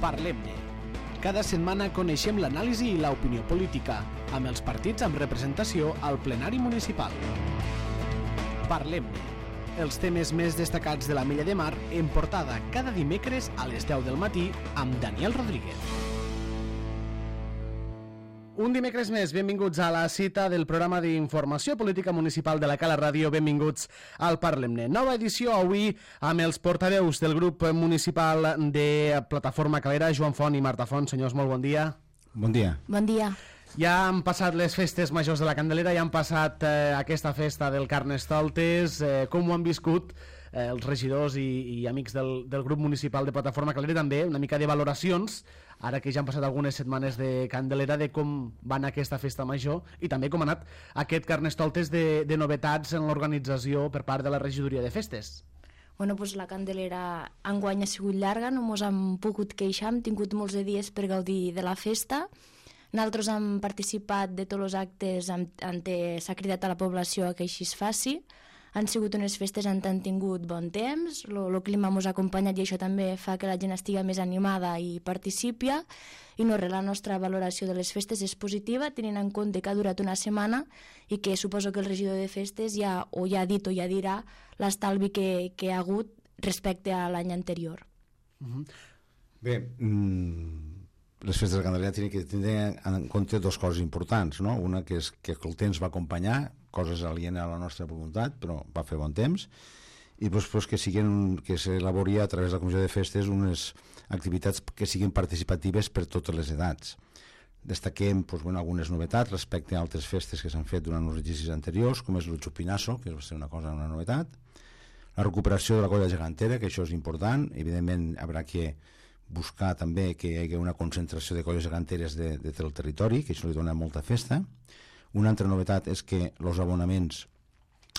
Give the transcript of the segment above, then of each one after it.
Parlem-ne. Cada setmana coneixem l'anàlisi i l'opinió política, amb els partits amb representació al plenari municipal. Parlem-ne. Els temes més destacats de la Mella de Mar en portada cada dimecres a les 10 del matí amb Daniel Rodríguez. Un dimecres més, benvinguts a la cita del programa d'informació política municipal de la Cala Ràdio. Benvinguts al Parlem-ne. Nova edició avui amb els portaveus del grup municipal de Plataforma Calera, Joan Font i Marta Font. Senyors, molt bon dia. Bon dia. Bon dia. Ja han passat les festes majors de la Candelera, ja han passat aquesta festa del Carnestoltes. Com ho han viscut els regidors i amics del grup municipal de Plataforma Calera? També una mica de valoracions, ara que ja han passat algunes setmanes de Candelera, de com va anar aquesta festa major i també com ha anat aquest Carnestoltes de novetats en l'organització per part de la regidoria de festes. Bueno, doncs la Candelera enguany ha sigut llarga, no mos hem pogut queixar, hem tingut molts de dies per gaudir de la festa. Nosaltres hem participat de tots els actes on s'ha cridat a la població que així es faci. Han sigut unes festes on han tingut bon temps, el clima ens ha acompanyat i això també fa que la gent estigui més animada i participi. I no res, la nostra valoració de les festes és positiva, tenint en compte que ha durat una setmana i que suposo que el regidor de festes ja ha dit o ja dirà l'estalvi que ha hagut respecte a l'any anterior. Bé, les festes de Candelera tenen que tenir en compte dues coses importants, no? Una que és que el temps va acompanyar, coses alienes a la nostra voluntat, però va fer bon temps, i després que s'elabori a través de la Comissió de Festes unes activitats que siguin participatives per totes les edats. Destaquem algunes novetats respecte a altres festes que s'han fet durant els exercicis anteriors, com és el Chupinazo, que va ser una novetat, la recuperació de la colla gegantera, que això és important. Evidentment haurà que buscar també que hi hagi una concentració de colles geganteres de tot el territori, que això li dona molta festa. Una altra novetat és que els abonaments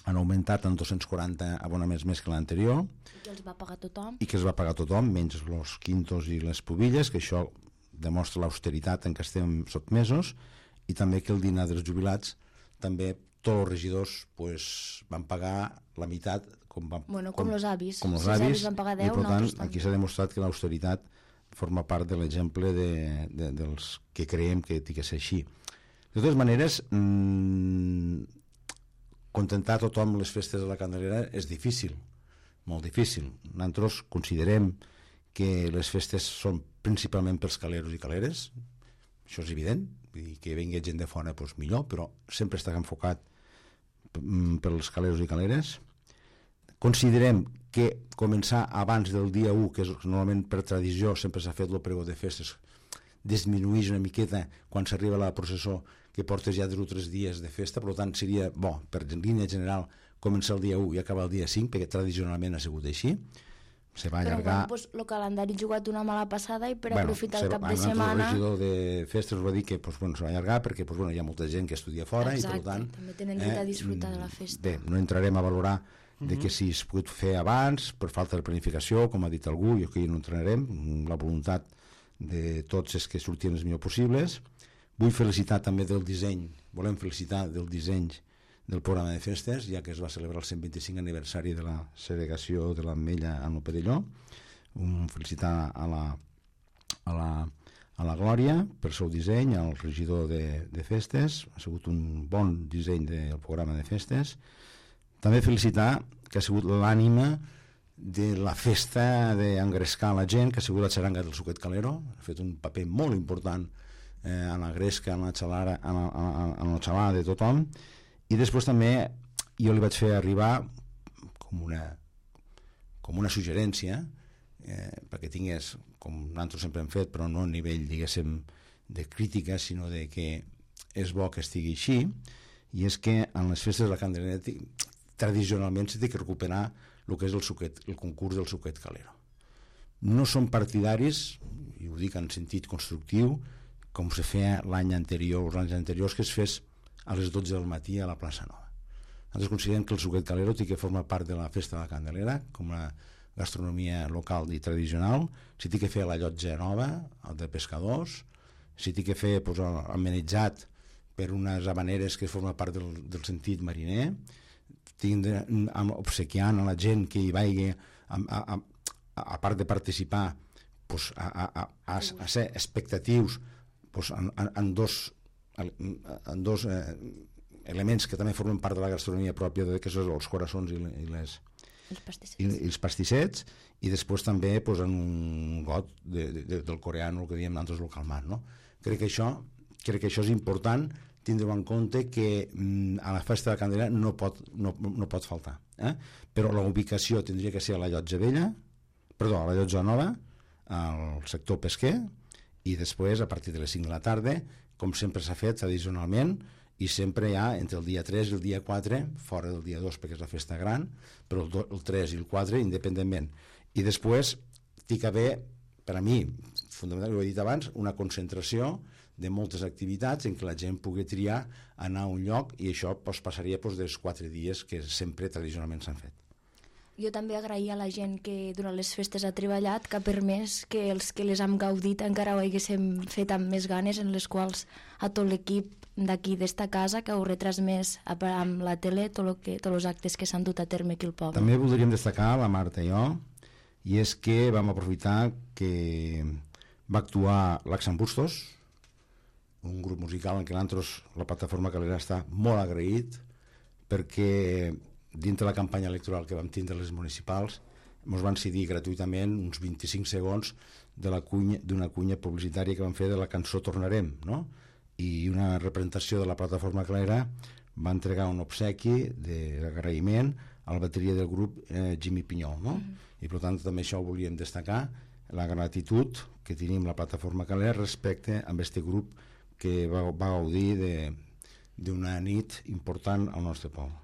han augmentat en 240 abonaments més que l'anterior. I que els va pagar tothom. I que els va pagar tothom, menys els quintos i les pubilles, que això demostra l'austeritat en què estem sotmesos, i també que el dinar dels jubilats també tots els regidors van pagar la meitat com els avis. Com els avis van pagar 10, i per tant aquí s'ha demostrat que l'austeritat forma part de l'exemple dels que creiem que té que ser així. De totes maneres, contentar tothom les festes de la Candelera és difícil, molt difícil. Nosaltres considerem que les festes són principalment pels caleros i caleres, això és evident, i que vingui gent de fora millor, però sempre està enfocat pels caleros i caleres. Considerem que començar abans del dia 1, que és normalment per tradició sempre s'ha fet el pregó de festes, disminueix una miqueta quan s'arriba a la processó, que portes ja 2 o 3 dies de festa. Per tant seria bo, per línia general, començar el dia 1 i acabar el dia 5, perquè tradicionalment ha sigut així. Se va allargar... Però el calendari ha jugat una mala passada i per aprofitar el cap de setmana... El regidor de festes va dir que se va allargar perquè hi ha molta gent que estudia fora. Exacte, i per tant, també tenen dret a disfrutar de la festa. Bé, no entrarem a valorar de que si es pot fer abans per falta de planificació, com ha dit algú, i aquí no entrarem. La voluntat de tots és que surtin els millor possibles. Vull felicitar també del disseny, volem felicitar del disseny del programa de festes, ja que es va celebrar el 125 aniversari de la segregació de l'Ametlla en el Perelló. Felicitar a la Glòria per el seu disseny, al regidor de festes. Ha sigut un bon disseny del programa de festes. També felicitar que ha sigut l'ànima de la festa d'engrescar la gent, que ha sigut la xaranga del Suquet Calero. Ha fet un paper molt important en la gresca, en la xalada de tothom. I després també jo li vaig fer arribar com una suggerència perquè tingués, com nosaltres sempre hem fet, però no a nivell, diguéssim, de crítica, sinó de que és bo que estigui així, i és que en les festes de la Candelera tradicionalment s'ha de recuperar el que és el concurs del Suquet Calero. No som partidaris, i ho dic en sentit constructiu, com se feia l'any anterior, els anys anteriors, que es fes a les 12 del matí a la plaça Nova. Nosaltres considerem que el Suquet Calero té que formar part de la festa de la Candelera, com la gastronomia local i tradicional. S'hi té que fer la llotja nova, el de pescadors, s'hi té que fer amenitzat per unes habaneres que forma part del sentit mariner, obsequiant a la gent que hi vagi, a part de participar, pues, a ser expectatius pues, en dos elements que també formen part de la gastronomia pròpia, que són els coraçons i els pastissets, i després també pues, en un got del coreano, el que diem nosaltres el calmat, no? Crec que això és important tindre en compte que a la festa de la Candelera no pot faltar, però la ubicació tindria que ser a la Llotja Vella, perdó, a la Llotja Nova, al sector pesquer, i després a partir de les 5 de la tarda, com sempre s'ha fet tradicionalment, i sempre hi ha entre el dia 3 i el dia 4, fora del dia 2 perquè és la festa gran, però el 3 i el 4 independentment. I després té que haver, per a mi, fonamentalment, ho he dit abans, una concentració de moltes activitats en què la gent pugui triar anar a un lloc, i això passaria dels 4 dies que sempre tradicionalment s'han fet. Jo també agrair a la gent que durant les festes ha treballat, que ha permès que els que les hem gaudit encara ho haguéssim fet amb més ganes, en les quals a tot l'equip d'aquí d'esta casa que ho retransmès amb la tele tots els actes que s'han dut a terme aquí al poble. També voldríem destacar, la Marta i jo, i és que vam aprofitar que va actuar l'Axan Bustos, un grup musical en què nosaltres, la plataforma Calera, està molt agraït, perquè dintre la campanya electoral que vam tindre les municipals ens van cedir gratuïtament uns 25 segons d'una cunya publicitària que vam fer de la cançó Tornarem, no? I una representació de la plataforma Calera va entregar un obsequi d'agraïment a la bateria del grup Jimmy Pinyol, no? I per tant també això ho volíem destacar, la gratitud que tenim la plataforma Calera respecte a aquest grup que va gaudir d'una nit important al nostre poble.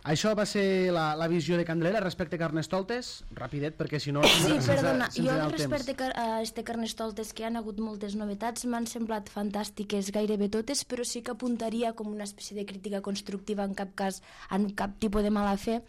Això va ser la visió de Candelera respecte a Carnestoltes, rapidet, perquè si no... Sí, perdona, jo respecte a este Carnestoltes, que han hagut moltes novetats, m'han semblat fantàstiques gairebé totes, però sí que apuntaria com una espècie de crítica constructiva, en cap cas, en cap tipus de mala fe.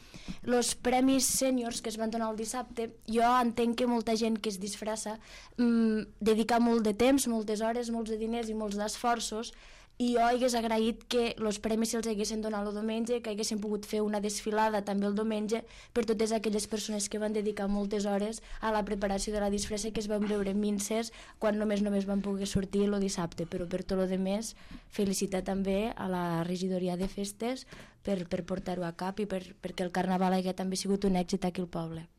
Los premis sèniors que es van donar el dissabte, jo entenc que molta gent que es disfressa dedica molt de temps, moltes hores, molts de diners i molts d'esforços, i jo hagués agraït que els premis se'ls haguessin donat el diumenge, que haguessin pogut fer una desfilada també el diumenge per totes aquelles persones que van dedicar moltes hores a la preparació de la disfressa, que es van veure minces quan només van poder sortir el dissabte. Però per tot el demés, felicitar també a la regidoria de festes per portar-ho a cap i perquè el carnaval hagués també sigut un èxit aquí al poble.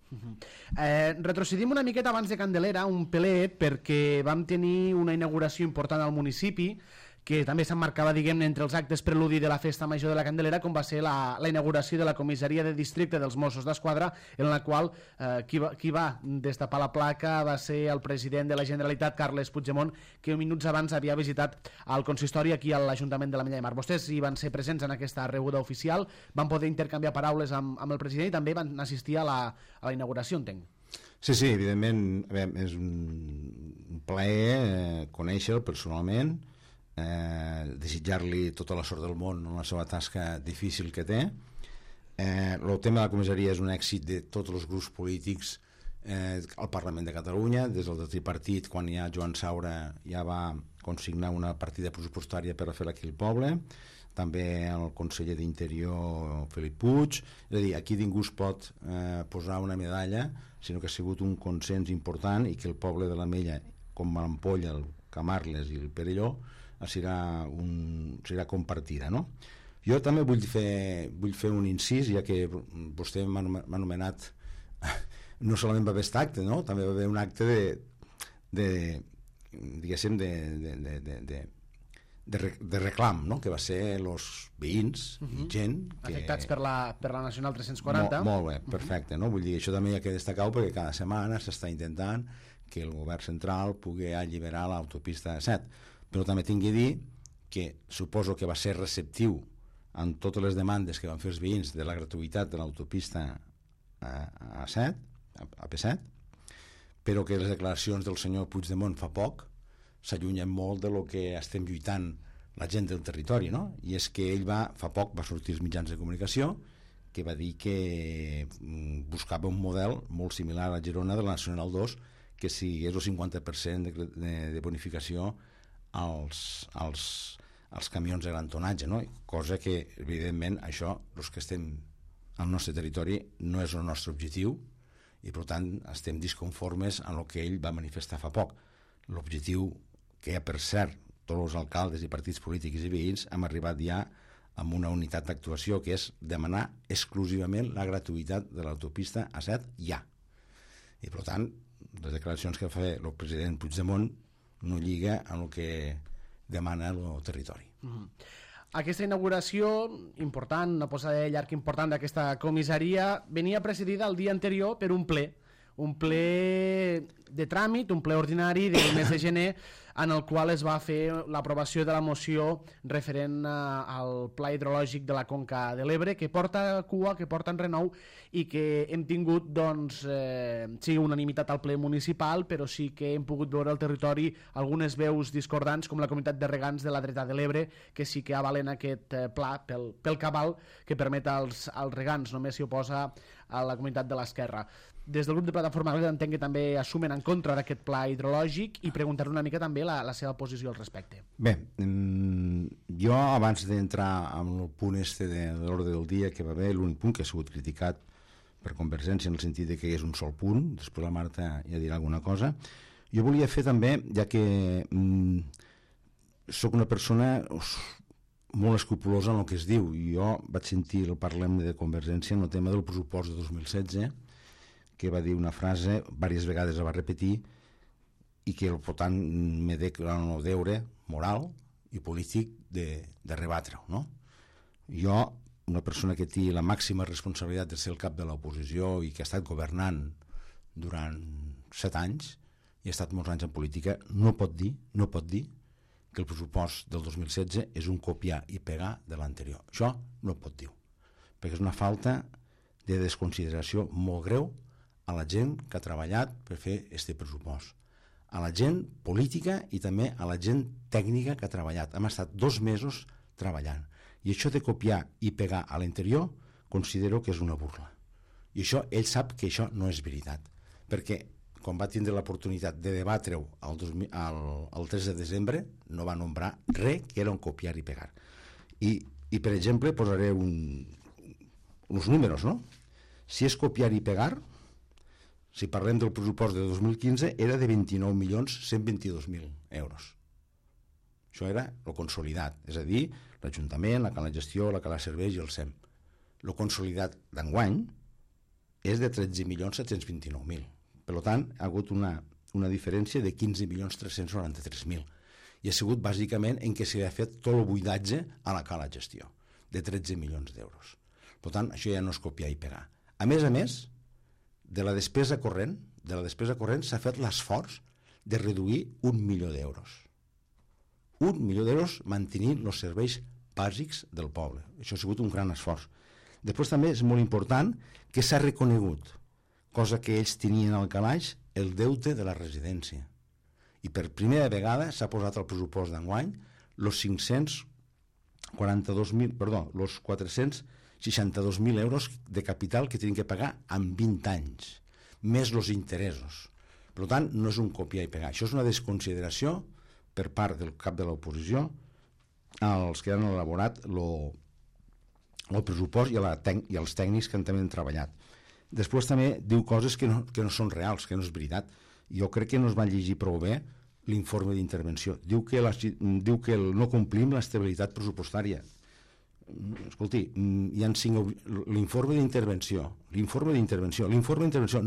Retrocedim una miqueta abans de Candelera, un pelet, perquè vam tenir una inauguració important al municipi que també s'emmarcava, diguem-ne, entre els actes preludi de la Festa Major de la Candelera, com va ser la inauguració de la comissaria de districte dels Mossos d'Esquadra, en la qual qui va destapar la placa va ser el president de la Generalitat, Carles Puigdemont, que minuts abans havia visitat el consistori aquí a l'Ajuntament de l'Ametlla de Mar. Vostès hi van ser presents en aquesta rebuda oficial, van poder intercanviar paraules amb el president i també van assistir a la inauguració, entenc. Sí, evidentment, és un plaer conèixer-lo personalment, desitjar-li tota la sort del món en la seva tasca difícil que té. El tema de la comissaria és un èxit de tots els grups polítics al Parlament de Catalunya. Des del tripartit, quan ja Joan Saura ja va consignar una partida pressupostària per a fer-la aquí al poble, també el conseller d'Interior Felip Puig. És a dir, aquí ningú es pot posar una medalla, sinó que ha sigut un consens important i que el poble de l'Ametlla, com l'Ampolla, el Camarles i el Perelló, serà compartida, no? Jo també vull fer un incís, ja que vostè m'ha anomenat, no solament va haver aquest acte, no? També va haver un acte diguéssim de reclam, no? Que va ser els veïns i gent afectats per la Nacional 340. Molt bé, perfecte, no? Vull dir, això també hi ha que destacar, perquè cada setmana s'està intentant que el govern central pugui alliberar l'autopista 7. Però també tinc que dir que suposo que va ser receptiu en totes les demandes que van fer els veïns de la gratuïtat de l'autopista a P7, però que les declaracions del senyor Puigdemont fa poc s'allunyen molt de lo que estem lluitant la gent del territori, no? I és que ell fa poc va sortir als mitjans de comunicació que va dir que buscava un model molt similar a la Girona de la Nacional 2, que sigués el 50% de bonificació als camions de gran tonatge, no? Cosa que, evidentment, això, els que estem al nostre territori, no és el nostre objectiu, i per tant estem disconformes amb el que ell va manifestar fa poc. L'objectiu que hi ha, per cert, tots els alcaldes i partits polítics i veïns hem arribat ja amb una unitat d'actuació, que és demanar exclusivament la gratuïtat de l'autopista A7 ja. I per tant, les declaracions que fa el president Puigdemont no lliga amb el que demana el territori. Aquesta inauguració important, una posada de llarg important d'aquesta comissaria, venia precedida el dia anterior per un ple de tràmit, un ple ordinari del mes de gener, en el qual es va fer l'aprovació de la moció referent al pla hidrològic de la Conca de l'Ebre, que porta cua, que porta enrenou, i que hem tingut, doncs, sí, unanimitat al ple municipal, però sí que hem pogut veure al territori algunes veus discordants, com la comunitat de regants de la dreta de l'Ebre, que sí que avalen aquest pla pel cabal que permet als regants. Només s'hi oposa a la comunitat de l'esquerra. Des del grup de Plataforma entenc que també assumen en contra d'aquest pla hidrològic, i preguntar una mica també la seva posició al respecte. Bé, jo abans d'entrar en el punt de l'ordre del dia que va haver, l'únic punt que ha sigut criticat per Convergència en el sentit de que és un sol punt, després la Marta ja dirà alguna cosa, jo volia fer també, ja que sóc una persona molt escrupulosa en el que es diu, i jo vaig sentir el Parlament de Convergència en el tema del pressupost de 2016, que va dir una frase, diverses vegades la va repetir, i que per tant me declara el deure moral i polític de rebatre-ho, no? Jo, una persona que té la màxima responsabilitat de ser el cap de l'oposició i que ha estat governant durant 7 anys i ha estat molts anys en política, no pot dir que el pressupost del 2016 és un copiar i pegar de l'anterior. Això no pot dir, perquè és una falta de desconsideració molt greu a la gent que ha treballat per fer aquest pressupost, a la gent política i també a la gent tècnica que ha treballat. Hem estat 2 mesos treballant, i això de copiar i pegar a l'anterior considero que és una burla, i això ell sap que això no és veritat, perquè quan va tindre l'oportunitat de debatre-ho el 3 de desembre no va nombrar res que era un copiar i pegar. I per exemple posaré uns números, no? Si és copiar i pegar, si parlem del pressupost de 2015, era de 29.122.000 euros. Això era el consolidat, és a dir, l'Ajuntament, la Cala Gestió, la Cala Serveis i el SEM. El consolidat d'enguany és de 13.729.000. Per tant, ha hagut una diferència de 15.393.000. I ha sigut bàsicament en què s'ha fet tot el buidatge a la Cala Gestió, de 13 milions d'euros. Per tant, això ja no és copiar i pegar. A més, de la despesa corrent s'ha fet l'esforç de reduir 1 milió d'euros. 1 milió d'euros mantenint els serveis bàsics del poble. Això ha sigut un gran esforç. Després també és molt important que s'ha reconegut, cosa que ells tenien al calaix, el deute de la residència. I per primera vegada s'ha posat al pressupost d'enguany els 462.000 euros de capital que tenen que pagar en 20 anys, més els interessos. Per tant, no és un copiar i pegar. Això és una desconsideració per part del cap de l'oposició als que han elaborat el pressupost i als tècnics que també han treballat. Després també diu coses que no són reals, que no és veritat. Jo crec que no es va llegir prou bé l'informe d'intervenció. Diu que no complim l'estabilitat pressupostària. Escolti, hi ha 5... L'informe d'intervenció,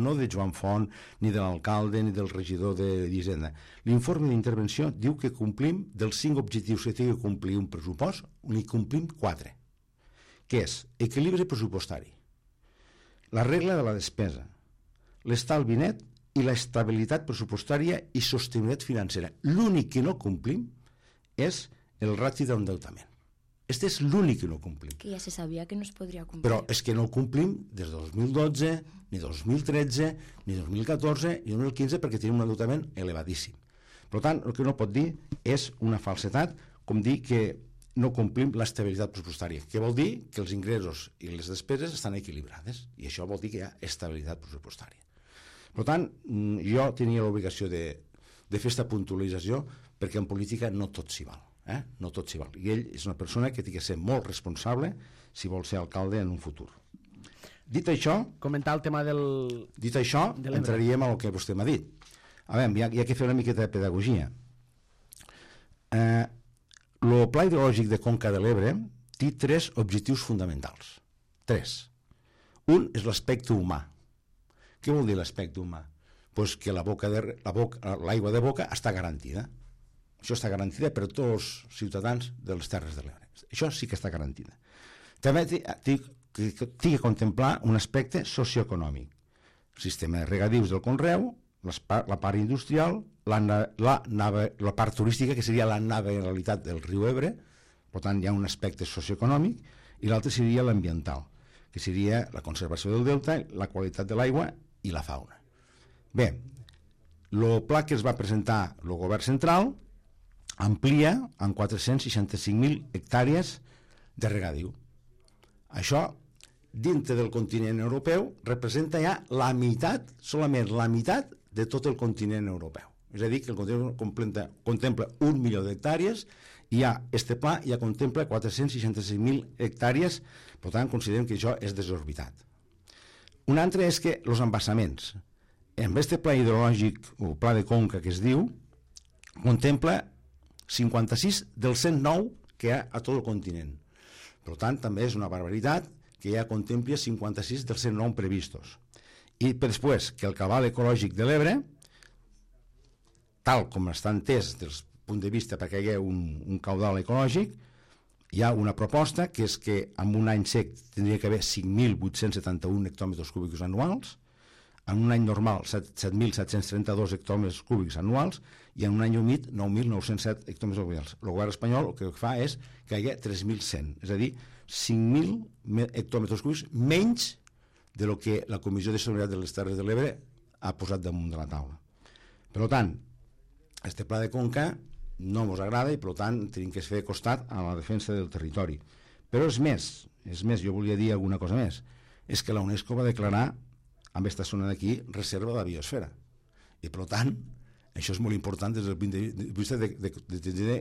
no de Joan Font, ni de l'alcalde, ni del regidor d'Hisenda. L'informe d'intervenció diu que complim dels 5 objectius que té que complir un pressupost, n'hi complim 4, que és equilibri pressupostari, la regla de la despesa, l'estalvi net i l'estabilitat pressupostària i sostenibilitat financera. L'únic que no complim és el ràtio d'endeutament. Este és l'únic que no complim. Que ja se sabia que no es podria complir. Però és que no ho complim des de 2012, ni 2013, ni 2014, ni 2015, perquè tenim un endeutament elevadíssim. Per tant, el que no pot dir és una falsetat, com dir que no complim l'estabilitat pressupostària, que vol dir que els ingressos i les despeses estan equilibrades, i això vol dir que hi ha estabilitat pressupostària. Per tant, jo tenia l'obligació de fer aquesta puntualització, perquè en política no tot s'hi val. No tot s'hi val. I ell és una persona que té que ser molt responsable si vol ser alcalde en un futur. Dit això, comentar el tema del... Dit això, entraríem al que vostè m'ha dit. A veure, hi ha que fer una miqueta de pedagogia. El Pla Hidrològic de Conca de l'Ebre té 3 objectius fonamentals. 3. Un és l'aspecte humà. Què vol dir l'aspecte humà? Pues que l'aigua de boca està garantida. Això està garantida per tots els ciutadans de les Terres de l'Ebre. Això sí que està garantida. També té que contemplar un aspecte socioeconòmic. El sistema de regadius del conreu, la part industrial, la part turística, que seria la navegabilitat del riu Ebre, per tant hi ha un aspecte socioeconòmic, i l'altre seria l'ambiental, que seria la conservació del delta, la qualitat de l'aigua i la fauna. Bé, el pla que es va presentar el govern central amplia en 465.000 hectàrees de regadiu. Això, dintre del continent europeu, representa ja la meitat, solament la meitat de tot el continent europeu. És a dir, que el continent contempla 1 milió d'hectàrees i este pla ja contempla 465.000 hectàrees, per tant, considerem que això és desorbitat. Un altre és que els embassaments, en aquest pla hidrològic, o pla de conca que es diu, contempla 56 dels 109 que hi ha a tot el continent. Per tant, també és una barbaritat que ja contempla 56 dels 109 previstos. I després, que el cabal ecològic de l'Ebre, tal com està entès des del punt de vista perquè hi ha un caudal ecològic, hi ha una proposta que és que en un any sec tindria que haver 5.871 hectòmetres cúbics anuals, en un any normal 7.732 hectòmetres cúbics anuals i en un any humit 9.907 hectòmetres cúbics. El govern espanyol el que fa és que hi hagi 3.100, és a dir, 5.000 hectòmetres cúbics menys de lo que la Comissió de Sostenibilitat de les Terres de l'Ebre ha posat damunt de la taula. Per tant, este pla de conca no ens agrada i per tant tenim que fer costat a la defensa del territori. Però és més, jo volia dir alguna cosa més, és que la UNESCO va declarar amb aquesta zona d'aquí reserva de la biosfera. I per tant, això és molt important des del punt de vista de tenir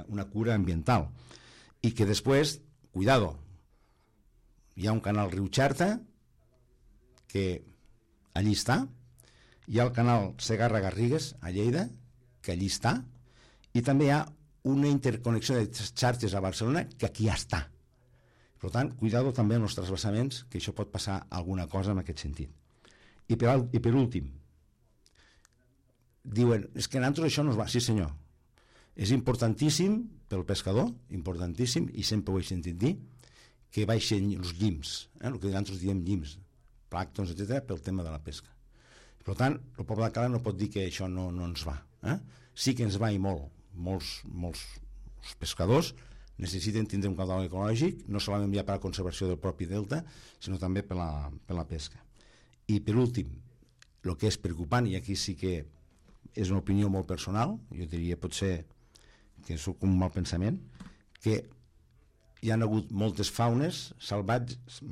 una cura ambiental. I que després, cuidado, hi ha un canal riu Xerta que allí està, hi ha el canal Segarra-Garrigues a Lleida que allí està, i també hi ha una interconnexió de xarxes a Barcelona que aquí ja està. Per tant, cuidado també amb els transvasaments, que això pot passar alguna cosa en aquest sentit. I per últim, diuen, és que a nosaltres això no es va... Sí senyor, és importantíssim pel pescador, importantíssim, i sempre ho he sentit dir, que baixen els llims, el que nosaltres diem llims, plàctons, etc., pel tema de la pesca. Per tant, el poble de Cala no pot dir que això no ens va. Sí que ens va i molts pescadors necessiten tindre un caudal ecològic, no solament ja per a la conservació del propi delta, sinó també per la pesca. I per últim, el que és preocupant, i aquí sí que és una opinió molt personal, jo diria potser que és un mal pensament, que hi ha hagut moltes faunes salvatges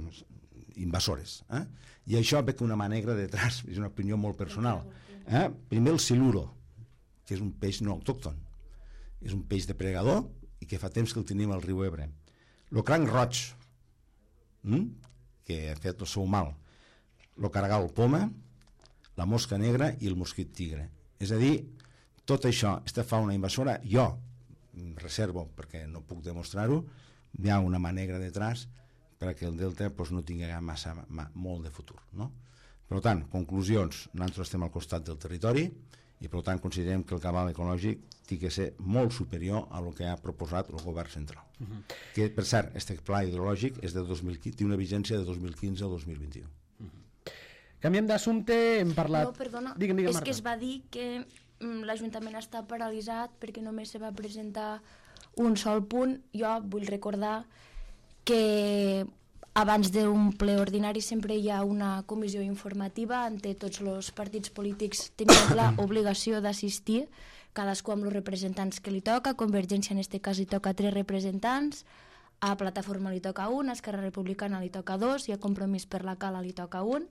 invasores, i això ve que una mà negra detrás, és una opinió molt personal. Primer el siluro, que és un peix no autòcton, és un peix depredador i que fa temps que el tenim al riu Ebre. El cranc roig, que ha fet el seu mal, el caragol poma, la mosca negra i el mosquit tigre. És a dir, tot això, aquesta fauna invasora, jo reservo, perquè no puc demostrar-ho, hi ha una mà negra detrás perquè el delta no tingui molt de futur. Per tant, conclusions, nosaltres estem al costat del territori i per tant considerem que el cabal ecològic té que ser molt superior a el que ha proposat el govern central. Que, per cert, aquest pla hidrològic és de 2015, té una vigència de 2015 al 2021. Canviem d'assumpte, hem parlat... No, perdona, digue'm, és Marta. que es va dir que l'Ajuntament està paralitzat perquè només se va presentar un sol punt. Jo vull recordar que abans d'un ple ordinari sempre hi ha una comissió informativa on tots els partits polítics tenen l'obligació d'assistir, cadascú amb els representants que li toca. Convergència en aquest cas li toca 3 representants, a Plataforma li toca 1, a Esquerra Republicana li toca 2 i a Compromís per la Cala li toca 1.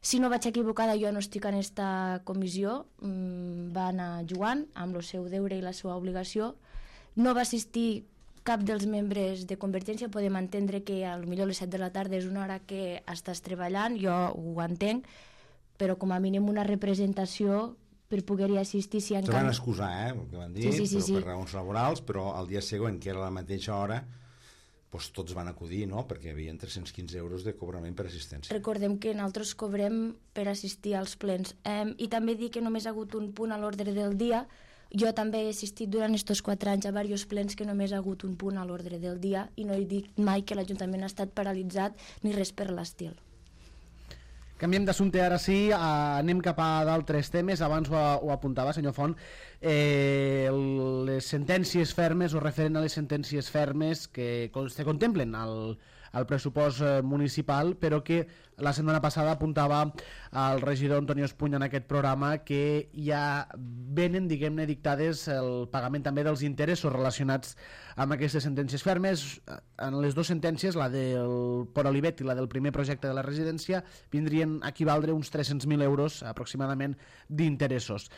Si no vaig equivocada, jo no estic en aquesta comissió, va anar Joan amb el seu deure i la seva obligació. No va assistir cap dels membres de Convergència podem entendre que potser a les 7 de la tarda és una hora que estàs treballant, jo ho entenc, però com a mínim una representació per poder-hi assistir. Si se van excusar, el que van dir, sí. per raons laborals, però al dia següent, que era la mateixa hora, doncs tots van acudir, no?, perquè hi havia 315 euros de cobrament per assistència. Recordem que nosaltres cobrem per assistir als plens. I també dir que només ha hagut un punt a l'ordre del dia. Jo també he assistit durant aquests 4 anys a diversos plens que només ha hagut un punt a l'ordre del dia i no he dit mai que l'Ajuntament ha estat paralitzat ni res per l'estil. Canviem d'assumpte ara sí, anem cap a d'altres temes. Abans ho apuntava, senyor Font, les sentències fermes o referent a les sentències fermes que se contemplen al pressupost municipal, però que la setmana passada apuntava el regidor Antonio Espuny en aquest programa que ja venen, diguem-ne, dictades el pagament també dels interessos relacionats amb aquestes sentències fermes. En les dues sentències, la del Port Olivet i la del primer projecte de la residència, vindrien a equivaldre uns 300.000 euros aproximadament d'interessos.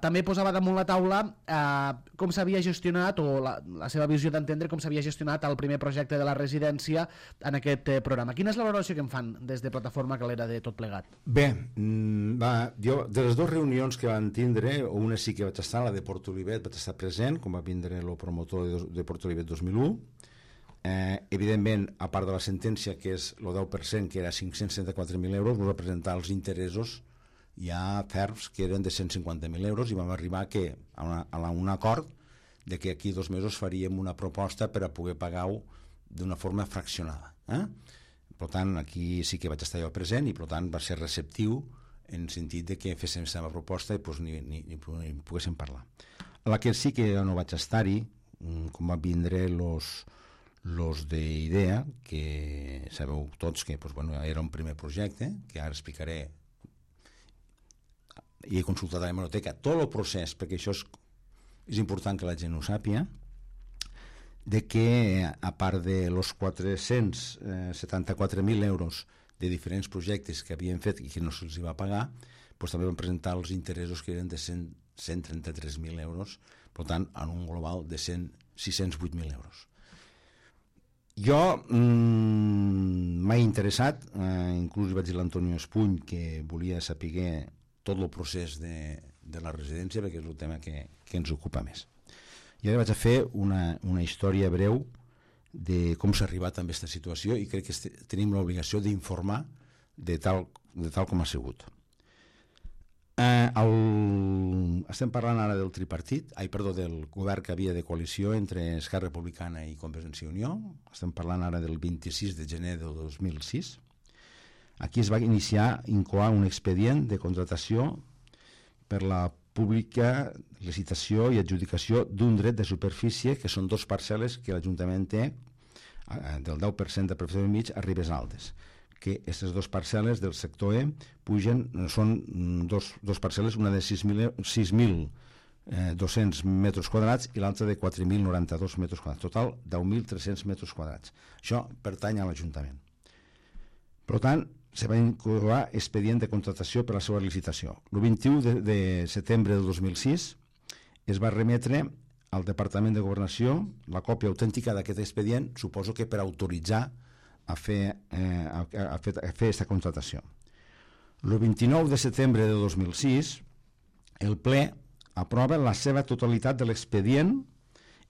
També posava damunt la taula com s'havia gestionat, o la seva visió d'entendre com s'havia gestionat el primer projecte de la residència en aquest programa. Quina és la valoració que en fan des de Plataforma Calera de tot plegat? Bé, jo de les dues reunions que van tindre, una sí que vaig estar, la de Port Olivet, vaig estar present, com va vindre el promotor de Port Olivet 2001. Evidentment, a part de la sentència, que és el 10%, que era 574.000 euros, ens va presentar els interessos ja ferms, que eren de 150.000 euros, i vam arribar a un acord de que aquí 2 mesos faríem una proposta per a poder pagar-ho d'una forma fraccionada. Per tant, aquí sí que vaig estar jo present i per tant va ser receptiu en el sentit de que féssim la seva proposta i doncs, ni poguéssim parlar. A la que sí que no vaig estar-hi, com van vindre los d'IDEA, que sabeu tots que era un primer projecte, que ara explicaré, i he consultat a la hemeroteca tot el procés, perquè això és important que la gent ho sàpiga, de que a part de los 474.000 euros de diferents projectes que havien fet i que no se'ls va pagar, doncs també van presentar els interessos que eren de 133.000 euros, per tant, en un global de 608.000 euros. Jo m'ha interessat, inclús vaig dir a l'Antonio Espuny que volia saber tot el procés de la residència, perquè és el tema que ens ocupa més. I ara vaig a fer una història breu de com s'ha arribat a aquesta situació i crec que tenim l'obligació d'informar de tal com ha sigut. Estem parlant ara del del govern que havia de coalició entre Esquerra Republicana i Convergència i Unió. Estem parlant ara del 26 de gener del 2006. Aquí es va incoar un expedient de contratació per la pública licitació i adjudicació d'un dret de superfície, que són 2 parcel·les que l'Ajuntament té del 10% de prefecció mig a Ribes Altes, que aquestes 2 parcel·les del sector E són 2 parcel·les, una de 6.200 metres quadrats i l'altra de 4.092 metres quadrats, total 10.300 metres quadrats. Això pertany a l'Ajuntament. Per tant, se va incoar expedient de contratació per a la seva licitació. El 21 de setembre del 2006 es va remetre al Departament de Governació la còpia autèntica d'aquest expedient, suposo que per autoritzar a fer aquesta contratació. El 29 de setembre de 2006 el ple aprova la seva totalitat de l'expedient,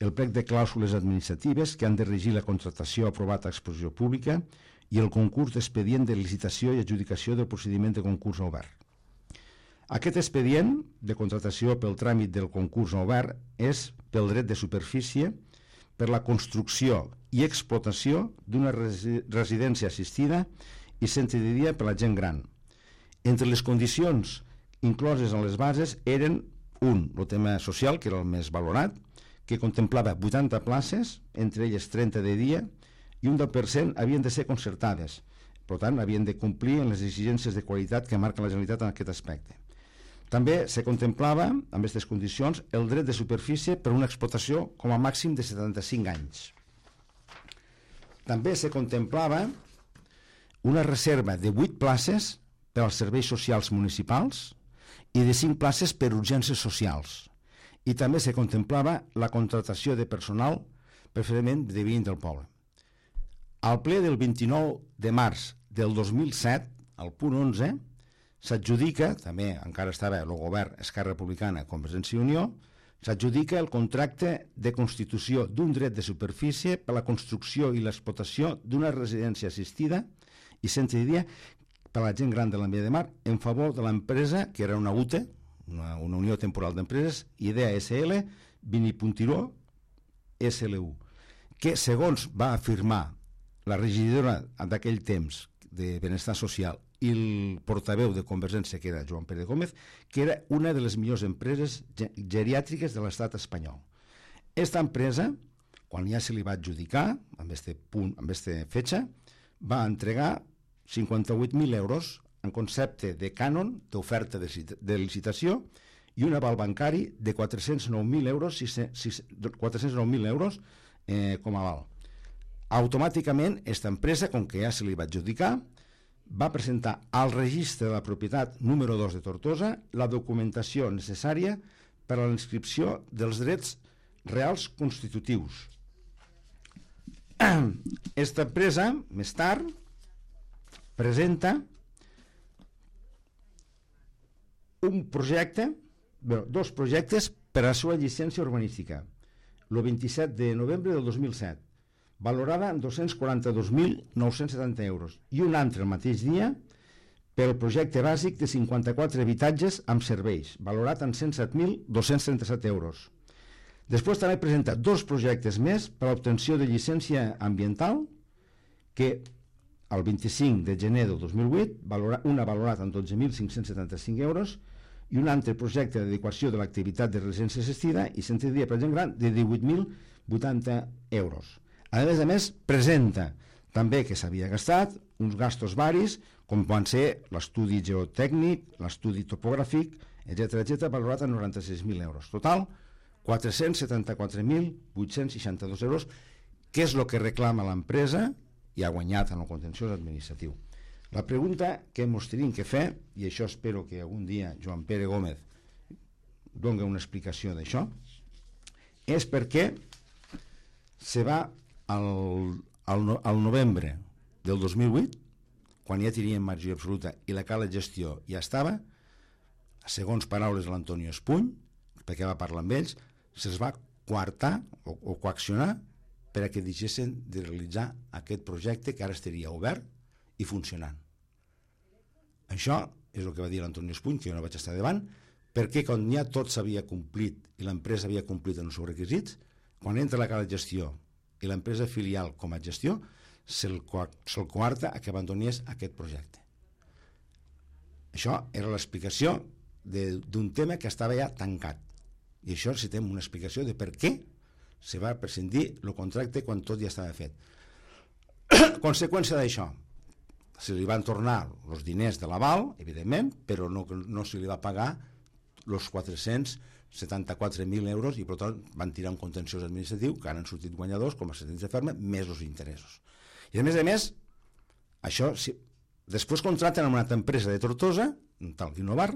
el plec de clàusules administratives que han de regir la contratació aprovat a exposició pública i el concurs d'expedient de licitació i adjudicació del procediment de concurs obert. Aquest expedient de contratació pel tràmit del concurs obert és pel dret de superfície per la construcció i explotació d'una residència assistida i centre de dia per la gent gran. Entre les condicions incloses en les bases eren el tema social, que era el més valorat, que contemplava 80 places, entre elles 30 de dia, i un 10% havien de ser concertades. Per tant, havien de complir en les exigències de qualitat que marca la Generalitat en aquest aspecte. També se contemplava, amb aquestes condicions, el dret de superfície per una explotació com a màxim de 75 anys. També se contemplava una reserva de 8 places per als serveis socials municipals i de 5 places per urgències socials. I també se contemplava la contratació de personal preferentment de veïns del poble. Al ple del 29 de març del 2007, al punt 11, s'adjudica, també encara estava el govern Esquerra Republicana, Convergència i Unió, s'adjudica el contracte de constitució d'un dret de superfície per a la construcció i l'explotació d'una residència assistida i centre de dia per a la gent gran de l'Ametlla de Mar en favor de l'empresa, que era una UTE, una Unió Temporal d'Empreses, Idea SL, Vinipuntiró SLU, que segons va afirmar la regidora d'aquell temps de Benestar Social i el portaveu de Convergència, que era Joan Pere Gómez, que era una de les millors empreses geriàtriques de l'estat espanyol. Esta empresa, quan ja se li va adjudicar, amb aquesta fetxa, va entregar 58.000 euros en concepte de cànon d'oferta de licitació i un aval bancari de 409.000 euros, 409.000 euros com a aval. Automàticament, aquesta empresa, com que ja se li va adjudicar, va presentar al registre de la propietat número 2 de Tortosa la documentació necessària per a la inscripció dels drets reals constitutius. Aquesta empresa, més tard, presenta dos projectes per a la seva llicència urbanística, el 27 de novembre del 2007, valorada en 242.970 euros, i un altre el mateix dia pel projecte bàsic de 54 habitatges amb serveis, valorat en 107.237 euros. Després també presenta dos projectes més per a l'obtenció de llicència ambiental, que el 25 de gener del 2008, una valorada en 12.575 euros, i un altre projecte d'adequació de l'activitat de residència assistida i centre de dia per gent gran de 18.080 euros. A més, presenta també que s'havia gastat uns gastos varis, com van ser l'estudi geotècnic, l'estudi topogràfic, etc., valorat en 96.000 euros. Total, 474.862 euros, que és el que reclama l'empresa i ha guanyat en el contenciós administratiu. La pregunta que ens tenim que fer, i això espero que algun dia Joan Pere Gómez doni una explicació d'això, és per què se va al novembre del 2008, quan ja teníem majoria absoluta i la cala gestió ja estava, segons paraules de l'Antonio Espuny, perquè va parlar amb ells, se'ls va coartar o coaccionar per a que deixessin de realitzar aquest projecte que ara estaria obert i funcionant. Això és el que va dir l'Antonio Espuny, que jo no vaig estar davant, perquè quan ja tot s'havia complit i l'empresa havia complit en els seus requisits, quan entra la cala gestió i l'empresa filial com a gestió, se'l coarta a que abandonés aquest projecte. Això era l'explicació d'un tema que estava ja tancat. I això necessitem una explicació de per què se va prescindir el contracte quan tot ja estava fet. Conseqüència d'això, se li van tornar els diners de l'aval, evidentment, però no se li va pagar els 474.000 euros i per tant van tirar un contenciós administratiu que han sortit guanyadors com a sentència ferma més els interessos. I a més, això, després contracten amb una altra empresa de Tortosa, un tal Guinovar,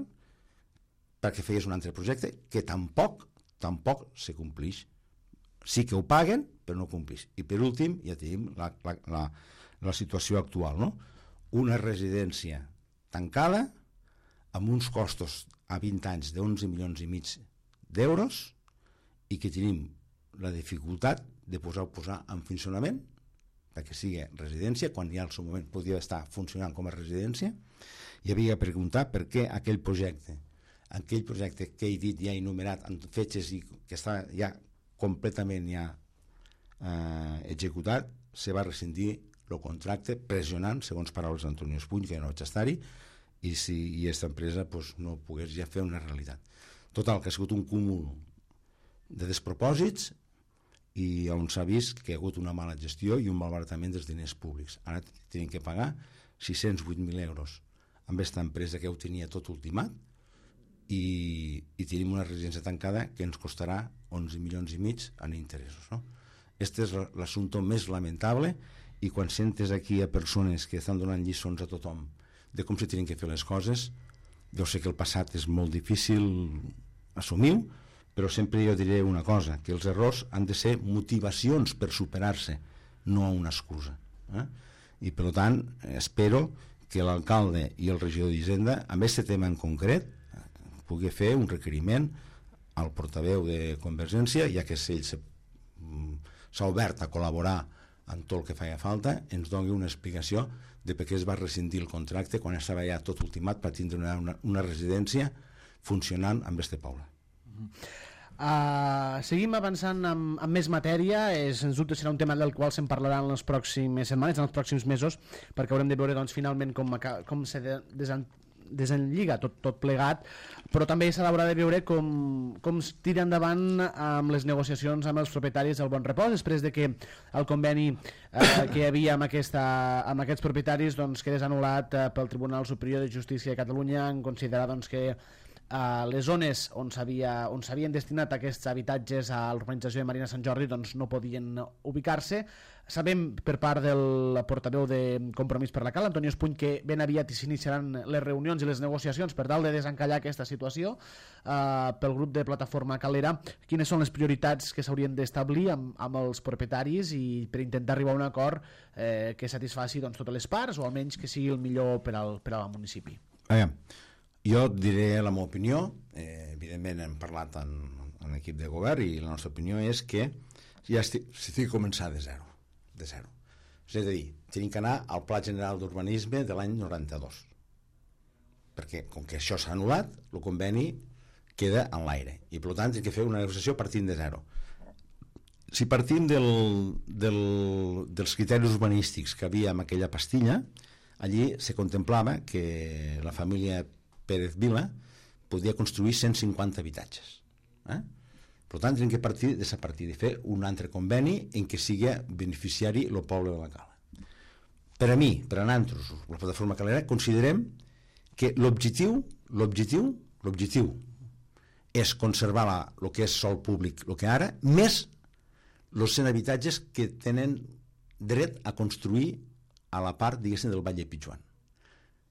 perquè feies un altre projecte que tampoc se complix. Sí que ho paguen, però no complix. I per últim, ja tenim la situació actual, no? Una residència tancada amb uns costos a 20 anys d'11,5 milions d'euros i que tenim la dificultat de posar en funcionament perquè sigui residència, quan ja al seu moment podia estar funcionant com a residència. I havia de preguntar per què aquell projecte que he dit ja enumerat en fetges i que està ja completament executat, se va rescindir el contracte pressionant, segons paraules d'Antonio Espuny, que no vaig estar-hi, i aquesta empresa no pogués ja fer una realitat. Total, que ha sigut un cúmul de despropòsits i on s'ha vist que hi ha hagut una mala gestió i un malbaratament dels diners públics. Ara tenim que pagar 608.000 euros amb aquesta empresa que ho tenia tot ultimat i tenim una residència tancada que ens costarà 11,5 milions en interessos, no? Este és l'assumpte més lamentable, i quan sentes aquí a persones que estan donant lliçons a tothom de com se tenen que fer les coses, jo sé que el passat és molt difícil assumir, però sempre jo diré una cosa, que els errors han de ser motivacions per superar-se, no una excusa. I per tant espero que l'alcalde i el regidor d'Hisenda, amb aquest tema en concret, pugui fer un requeriment al portaveu de Convergència, ja que ell s'ha obert a col·laborar en tot el que feia falta, ens doni una explicació de per què es va rescindir el contracte quan estava ja tot ultimat per tindre una residència funcionant amb este poble. Seguim avançant amb més matèria. Sens dubte serà un tema del qual se'n parlarà en les pròximes setmanes, en els pròxims mesos, perquè haurem de veure doncs, finalment com se desenlliga tot plegat, però també s'ha d'haurà de veure com es tira endavant amb les negociacions amb els propietaris del Bon Repòs, després de que el conveni que hi havia amb aquests propietaris doncs, quedés anul·lat pel Tribunal Superior de Justícia de Catalunya, en considerar doncs, que les zones on s'havien destinat aquests habitatges a l'urbanització de Marina Sant Jordi doncs no podien ubicar-se. Sabem per part del portaveu de Compromís per la Cal, Antonio Espuny, que ben aviat s'iniciaran les reunions i les negociacions per tal de desencallar aquesta situació pel grup de Plataforma Calera. Quines són les prioritats que s'haurien d'establir amb els propietaris i per intentar arribar a un acord que satisfaci doncs, totes les parts, o almenys que sigui el millor per al municipi? Jo diré la meva opinió, evidentment hem parlat en l'equip de govern i la nostra opinió és que ja s'ha de començar de zero. És a dir, tenim que anar al Pla General d'Urbanisme de l'any 92, perquè com que això s'ha anul·lat, el conveni queda en l'aire i per tant hem de fer una negociació partint de zero. Si partim dels criteris urbanístics que havia en aquella pastilla, allí se contemplava que la família Pérez Vila podia construir 150 habitatges. Per tant, hem de partir d'aquesta partida i fer un altre conveni en què sigui beneficiari el poble de la Cala. Per a mi, per a nosaltres, la Plataforma Calera, considerem que l'objectiu és conservar el que és sòl públic, el que ara, més els 100 habitatges que tenen dret a construir a la part, diguéssim, del Vall de Pitjuan.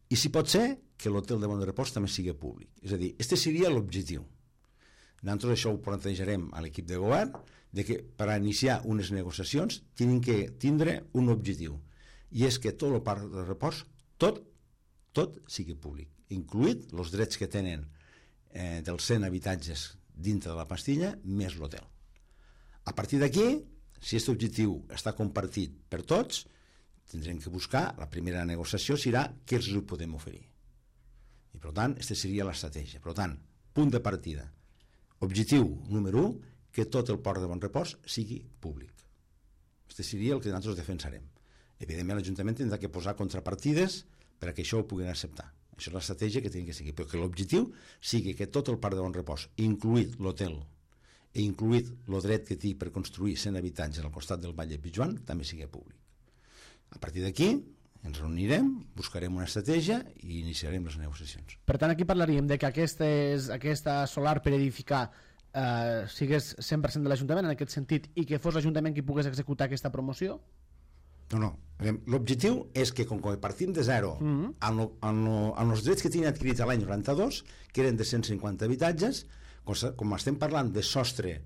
I si pot ser que l'hotel de Bon Repòs també sigui públic. És a dir, este seria l'objectiu. Nosaltres això ho plantejarem a l'equip de govern, de que per iniciar unes negociacions tenen que tindre un objectiu, i és que tot el parc de repòs, tot sigui públic, incluït els drets que tenen dels 100 habitatges dintre de la pastilla, més l'hotel. A partir d'aquí, si aquest objectiu està compartit per tots, tindrem que buscar, la primera negociació serà què els podem oferir. I per tant, aquesta seria l'estratègia. Per tant, punt de partida. Objectiu número 1, que tot el port de Bon Repòs sigui públic. Aquest seria el que nosaltres defensarem. Evidentment, l'Ajuntament tindrà que posar contrapartides perquè això ho puguin acceptar. Això és l'estratègia que tingui que seguir. Però que l'objectiu sigui que tot el parc de Bon Repòs, incluït l'hotel i incluït el dret que té per construir 100 habitatges al costat del Vall de Pitjuan, també sigui públic. A partir d'aquí ens reunirem, buscarem una estratègia i iniciarem les negociacions. Per tant, aquí parlaríem de que aquesta solar per edificar sigués 100% de l'Ajuntament en aquest sentit i que fos l'Ajuntament qui pogués executar aquesta promoció? No. L'objectiu és que com que partim de zero amb els drets que tenien adquirit l'any 92, que eren de 150 habitatges, com estem parlant de sostre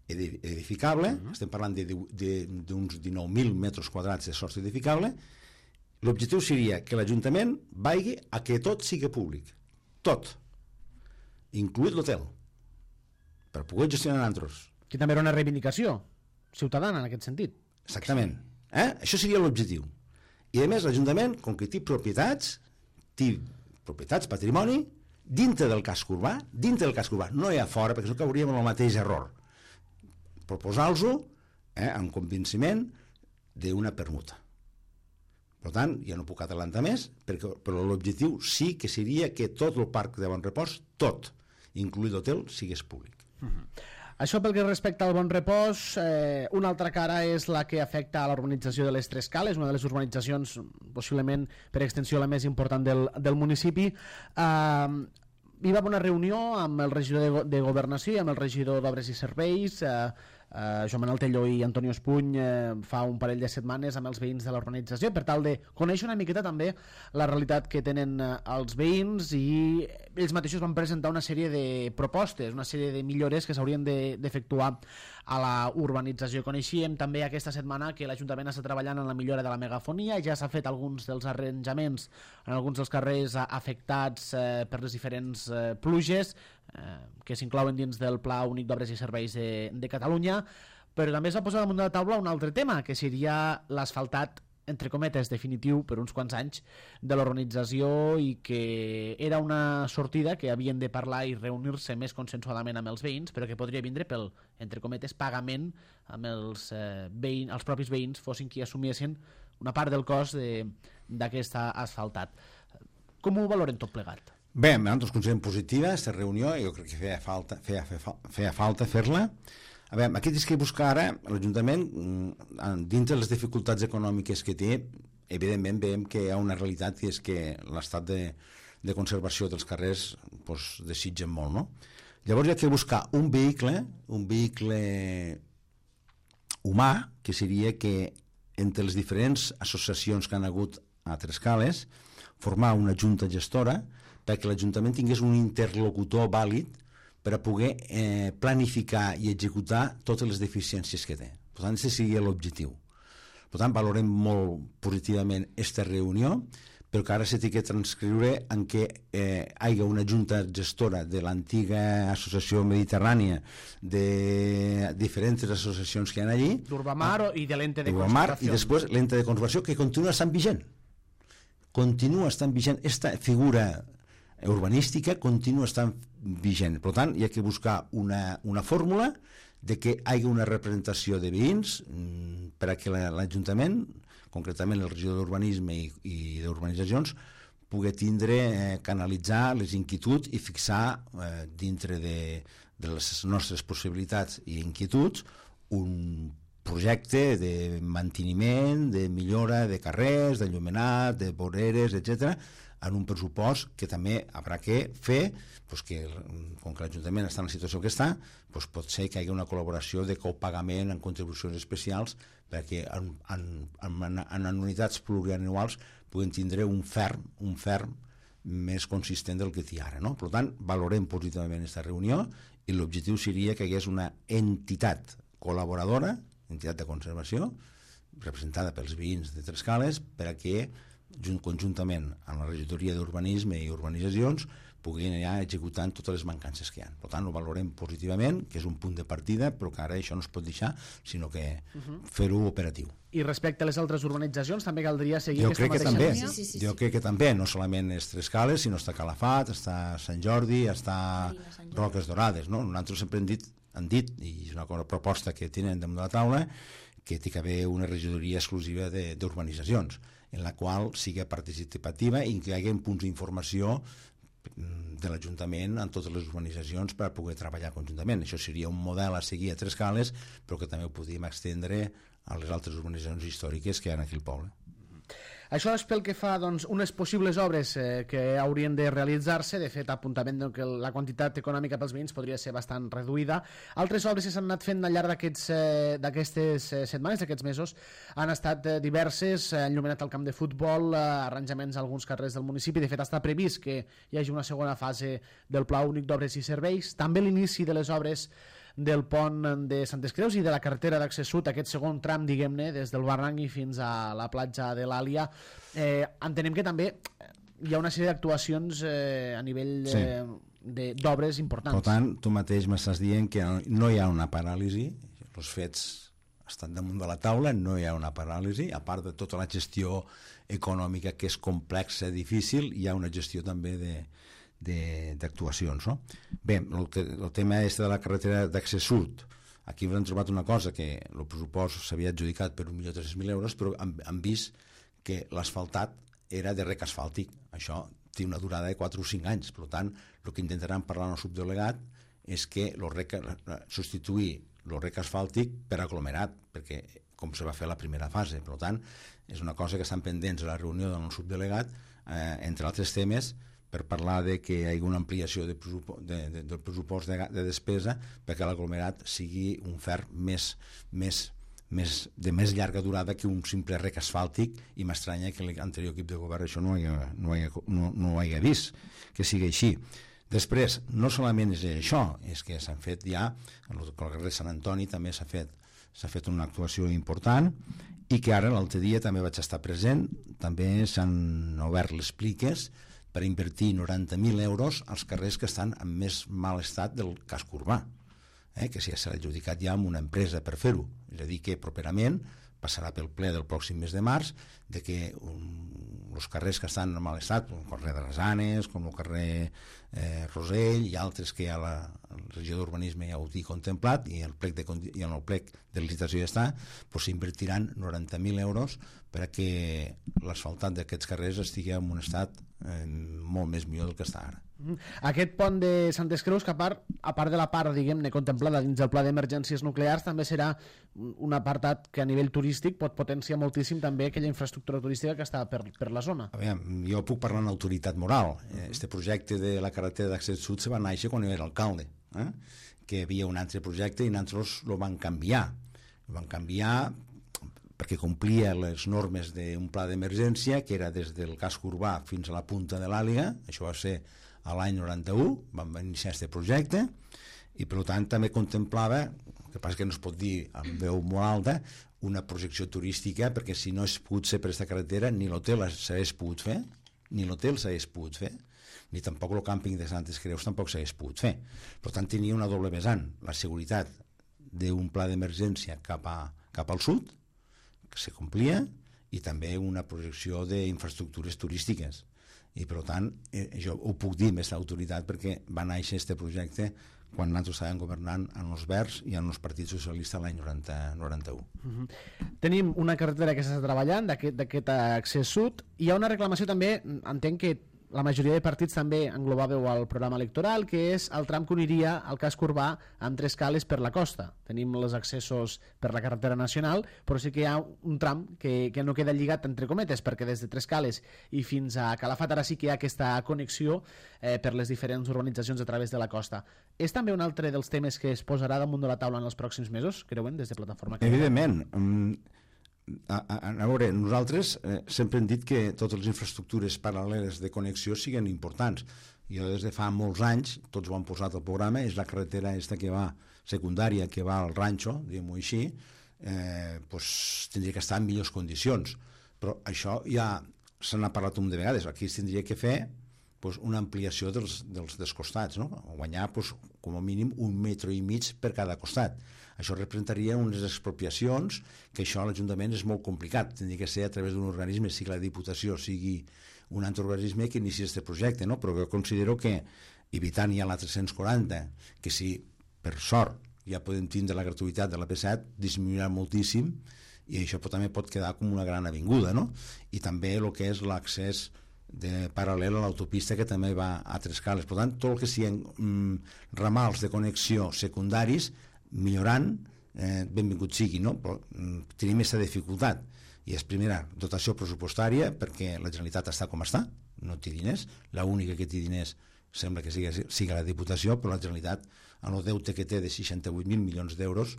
edificable, estem parlant d'uns 19.000 metres quadrats de sostre edificable, l'objectiu seria que l'Ajuntament vagi a que tot sigui públic, tot, incluït l'hotel, per poder gestionar nosaltres. Que també era una reivindicació ciutadana en aquest sentit. Exactament. Això seria l'objectiu. I a més l'Ajuntament, com que té propietats, patrimoni, dintre del casc urbà, no hi ha fora, perquè no cauríem en el mateix error. Proposar-los-ho amb convenciment d'una permuta. Per tant, ja no puc adelantar més, però l'objectiu sí que seria que tot el parc de Bon Repòs, tot, incluït l'hotel, sigués públic. Això pel que respecta al Bon Repòs, una altra cara és la que afecta a la urbanització de les Tres Cales, una de les urbanitzacions possiblement per extensió la més important del municipi. Hi va haver una reunió amb el regidor de Governació i amb el regidor d'Obres i Serveis Joan Manuel Telló i Antonio Espuny fa un parell de setmanes amb els veïns de l'urbanització per tal de conèixer una miqueta també la realitat que tenen els veïns, i ells mateixos van presentar una sèrie de propostes, una sèrie de millores que s'haurien d'efectuar a la urbanització. Coneixíem també aquesta setmana que l'Ajuntament està treballant en la millora de la megafonia, ja s'ha fet alguns dels arranjaments en alguns dels carrers afectats per les diferents pluges que s'inclouen dins del Pla Únic d'Obres i Serveis de Catalunya, però també es va posar damunt de la taula un altre tema, que seria l'asfaltat, entre cometes, definitiu per uns quants anys de l'urbanització, i que era una sortida que havien de parlar i reunir-se més consensuadament amb els veïns, però que podria vindre pel, entre cometes, pagament amb els propis veïns, fossin qui assumiessin una part del cost d'aquest asfaltat. Com ho valoren tot plegat? Bé, nosaltres considerem positiva aquesta reunió, jo crec que feia falta fer-la. A veure, aquí tens que buscar ara l'Ajuntament, dintre les dificultats econòmiques que té, evidentment veiem que hi ha una realitat, que és que l'estat de conservació dels carrers desitgen molt, no? Llavors hi ha que buscar un vehicle humà, que seria que entre les diferents associacions que han hagut a Trescales, formar una junta gestora perquè l'Ajuntament tingués un interlocutor vàlid per a poder planificar i executar totes les deficiències que té. Per tant, aquest seria l'objectiu. Per tant, valorem molt positivament aquesta reunió, però que ara s'ha de transcriure en què hi hagi una junta gestora de l'antiga Associació Mediterrània, de diferents associacions que hi ha allí, d'Urbamar i de l'Ente de Conservació, Conservació, i després l'Ente de Conservació, que continua estant vigent. Esta figura urbanística continua estant vigent. Per tant, hi ha que buscar una fórmula de que hi hagi una representació de veïns per a que l'Ajuntament, concretament el regidor d'Urbanisme i d'Urbanitzacions, pugui canalitzar les inquietuds i fixar dintre de les nostres possibilitats i inquietuds un projecte de manteniment, de millora de carrers, d'enllumenat, de voreres, etc., en un pressupost que també haurà que fer, que com que l'Ajuntament està en la situació que està, pot ser que hi hagi una col·laboració de copagament en contribucions especials perquè en anualitats plurianuals puguin tindre un ferm més consistent del que té ara, no? Per tant, valorem positivament aquesta reunió i l'objectiu seria que hi hagués una entitat col·laboradora, entitat de conservació, representada pels veïns de Trescales, per a que conjuntament amb la regidoria d'Urbanisme i Urbanitzacions puguin anar executant totes les mancances que hi ha. Per tant, ho valorem positivament, que és un punt de partida, però que ara això no es pot deixar, sinó que fer-ho operatiu. I respecte a les altres urbanitzacions, també caldria seguir aquesta mateixa línia? Sí. Jo crec que també, no solament és Trescales, sinó està Calafat, està Sant Jordi, està Roques Dorades, no? Nosaltres sempre han dit, i és una proposta que tenen damunt de la taula, que té que haver una regidoria exclusiva d'urbanitzacions, en la qual sigui participativa i que hi hagi punts d'informació de l'Ajuntament en totes les urbanitzacions per poder treballar conjuntament. Això seria un model a seguir a Trescales, però que també ho podríem extendre a les altres urbanitzacions històriques que hi ha aquí al poble. Això és pel que fa a unes possibles obres que haurien de realitzar-se. De fet, apuntament que la quantitat econòmica pels veïns podria ser bastant reduïda. Altres obres que s'han anat fent al llarg d'aquestes setmanes, d'aquests mesos, han estat diverses: enllumenat al camp de futbol, arranjaments a alguns carrers del municipi. De fet, està previst que hi hagi una segona fase del Pla Únic d'Obres i Serveis. També l'inici de les obres del pont de Santes Creus i de la carretera d'accés sud, aquest segon tram, diguem-ne, des del Barranc i fins a la platja de l'Àlia. Entenem que també hi ha una sèrie d'actuacions a nivell d'obres importants. Per tant, tu mateix m'estàs dient que no hi ha una paràlisi, els fets estan damunt de la taula, no hi ha una paràlisi, a part de tota la gestió econòmica que és complexa, difícil, hi ha una gestió també d'actuacions, no? Bé, el tema és de la carretera d'accés sud. Aquí hem trobat una cosa, que el pressupost s'havia adjudicat per 1.300.000 euros, però han vist que l'asfaltat era de rec asfàltic. Això té una durada de 4 o 5 anys. Per tant, el que intentaran parlar amb el subdelegat és que substituir el rec asfàltic per aglomerat, perquè com se va fer la primera fase. Per tant, és una cosa que estan pendents a la reunió del subdelegat, entre altres temes, per parlar de que hi hagi una ampliació del pressupost de despesa perquè l'aglomerat sigui un fer de més llarga durada que un simple rec asfàltic, i m'estranya que l'anterior equip de govern això no ho hagi vist, que sigui així. Després, no solament és això, és que s'han fet ja, al carrer Sant Antoni també s'ha fet una actuació important, i que ara l'altre dia també vaig estar present, també s'han obert les pliques per invertir 90.000 euros als carrers que estan en més mal estat del casc urbà, que s'ha adjudicat ja amb una empresa per fer-ho. És a dir, que properament passarà pel ple del pròxim mes de març de que els carrers que estan en mal estat, com el carrer de les Anes, com el carrer Rosell i altres que ja la regió d'urbanisme ja ho té contemplat, i en el plec de licitació ja està, doncs s'invertiran 90.000 euros perquè l'asfaltat d'aquests carrers estigui en un estat molt més millor del que està ara. Aquest pont de Santes Creus, que a part de la part, diguem-ne, contemplada dins del pla d'emergències nuclears, també serà un apartat que a nivell turístic pot potenciar moltíssim també aquella infraestructura turística que està per la zona. Jo puc parlar en autoritat moral. Este projecte de la carretera d'accés sud se va néixer quan jo era alcalde, que hi havia un altre projecte i nosaltres el van canviar. El van canviar perquè complia les normes d'un pla d'emergència que era des del casc urbà fins a la punta de l'Àliga. Això va ser a l'any 91, vam iniciar aquest projecte, i per tant també contemplava, el que passa que no es pot dir amb veu molt alta, una projecció turística, perquè si no es pogut ser per aquesta carretera ni l'hotel s'hagués pogut fer, ni tampoc el càmping de Santes Creus tampoc s'hagués pogut fer. Per tant tenia una doble vessant, la seguretat d'un pla d'emergència cap al sud, que se complia, i també una projecció d'infraestructures turístiques. I per tant jo ho puc dir amb aquesta autoritat perquè va néixer aquest projecte quan nosaltres estàvem governant en els Verds i en els partits socialistes l'any 91. Tenim una carretera que s'està treballant d'aquest accés sud. Hi ha una reclamació també, entenc que la majoria de partits també englobàveu al programa electoral, que és el tram que uniria al casc urbà amb 3 cales per la costa. Tenim els accessos per la carretera nacional, però sí que hi ha un tram que no queda lligat entre cometes, perquè des de 3 cales i fins a Calafat ara sí que hi ha aquesta connexió per les diferents urbanitzacions a través de la costa. És també un altre dels temes que es posarà damunt de la taula en els pròxims mesos, creuen, des de Plataforma? Evidentment. A veure, nosaltres sempre hem dit que totes les infraestructures paral·leles de connexió siguin importants. Jo des de fa molts anys, tots ho han posat al programa, és la carretera esta que va secundària, que va al ranxo, diguem-ho així, tindria que estar en millors condicions. Però això ja se n'ha parlat un de vegades. Aquí es tindria que fer una ampliació dels costats, no? Guanyar com a mínim 1,5 metres per cada costat. Això representaria unes expropiacions, que això a l'Ajuntament és molt complicat. Tindria que ser a través d'un organisme, sigui la Diputació, sigui un altre organisme que inicia aquest projecte, no? Però jo considero que, evitant ja la 340, que si per sort ja podem tindre la gratuïtat de la P7, disminuirà moltíssim, i això també pot quedar com una gran avinguda, no? I també el que és l'accés paral·lel a l'autopista, que també va a 3 cales. Per tant, tot el que siguin ramals de connexió secundaris, millorant, benvingut sigui, no? Però tenim aquesta dificultat, i és primera dotació pressupostària, perquè la Generalitat està com està, no té diners, l'única que té diners sembla que sigui la Diputació, però la Generalitat, en el deute que té de 68.000 milions d'euros,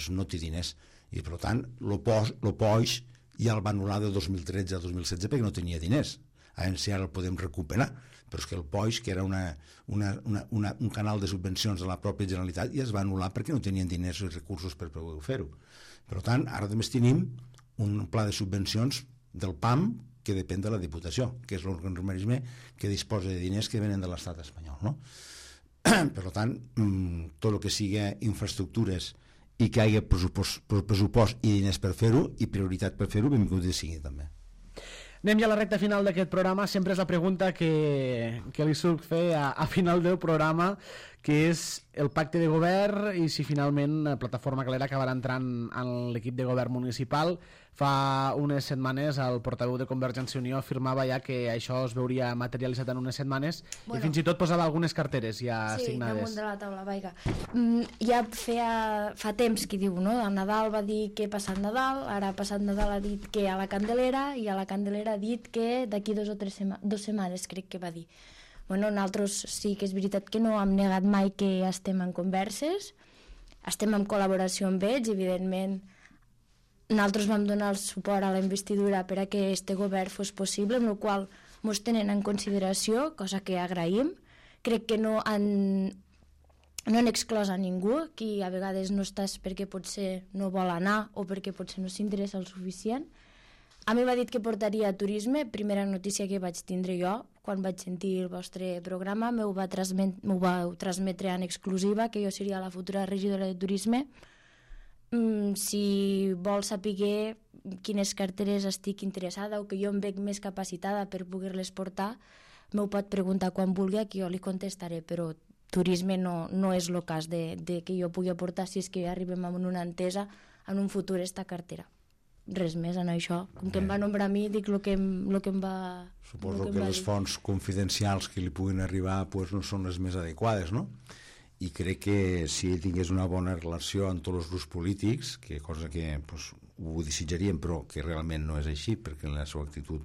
no té diners, i per tant el POIX ja el va anul·lar de 2013 a 2016 perquè no tenia diners. A veure si ara el podem recuperar, però és que el POIX, que era un canal de subvencions de la pròpia Generalitat, ja es va anul·lar perquè no tenien diners i recursos per poder fer-ho. Per tant, ara només tenim un pla de subvencions del PAM que depèn de la Diputació, que és l'organisme que disposa de diners que venen de l'estat espanyol, no? Per tant, tot el que sigui infraestructures i que hi hagi pressupost i diners per fer-ho i prioritat per fer-ho, benvingut sigui també. Anem ja a la recta final d'aquest programa. Sempre és la pregunta que li suc fer a final del programa, que és el pacte de govern i si finalment Plataforma Calera acabarà entrant en l'equip de govern municipal. Fa unes setmanes el portaveu de Convergència i Unió afirmava ja que això es veuria materialitzat en unes setmanes, i fins i tot posava algunes carteres ja signades. Sí, damunt de la taula, vaiga. Ja fa temps que diu, no? A Nadal va dir que passat Nadal, ara passat Nadal ha dit que a la Candelera, i a la Candelera ha dit que d'aquí 2 setmanes, crec que va dir. Bueno, nosaltres sí que és veritat que no hem negat mai que estem en converses, estem en col·laboració amb ells, evidentment. Nosaltres vam donar el suport a la investidura per a que este govern fos possible, amb la qual ens tenen en consideració, cosa que agraïm. Crec que no han exclòs a ningú, qui a vegades no estàs perquè potser no vol anar o perquè potser no s'interessa el suficient. A mi m'ha dit que portaria turisme, primera notícia que vaig tindre jo, quan vaig sentir el vostre programa, m'ho vau transmetre en exclusiva, que jo seria la futura regidora de turisme. Si vol saber quines carteres estic interessada o que jo em veig més capacitada per poder-les portar, m'ho pot preguntar quan vulgui, que jo li contestaré, però turisme no és el cas de que jo pugui aportar si és que arribem a una entesa en un futur esta cartera. Res més en això. Com que em va nombrar a mi, dic el que em va... Suposo que les fonts confidencials que li puguin arribar pues, no són les més adequades, no? I crec que si ell tingués una bona relació amb tots els grups polítics, que cosa que pues, ho desitjaríem, però que realment no és així, perquè la seva actitud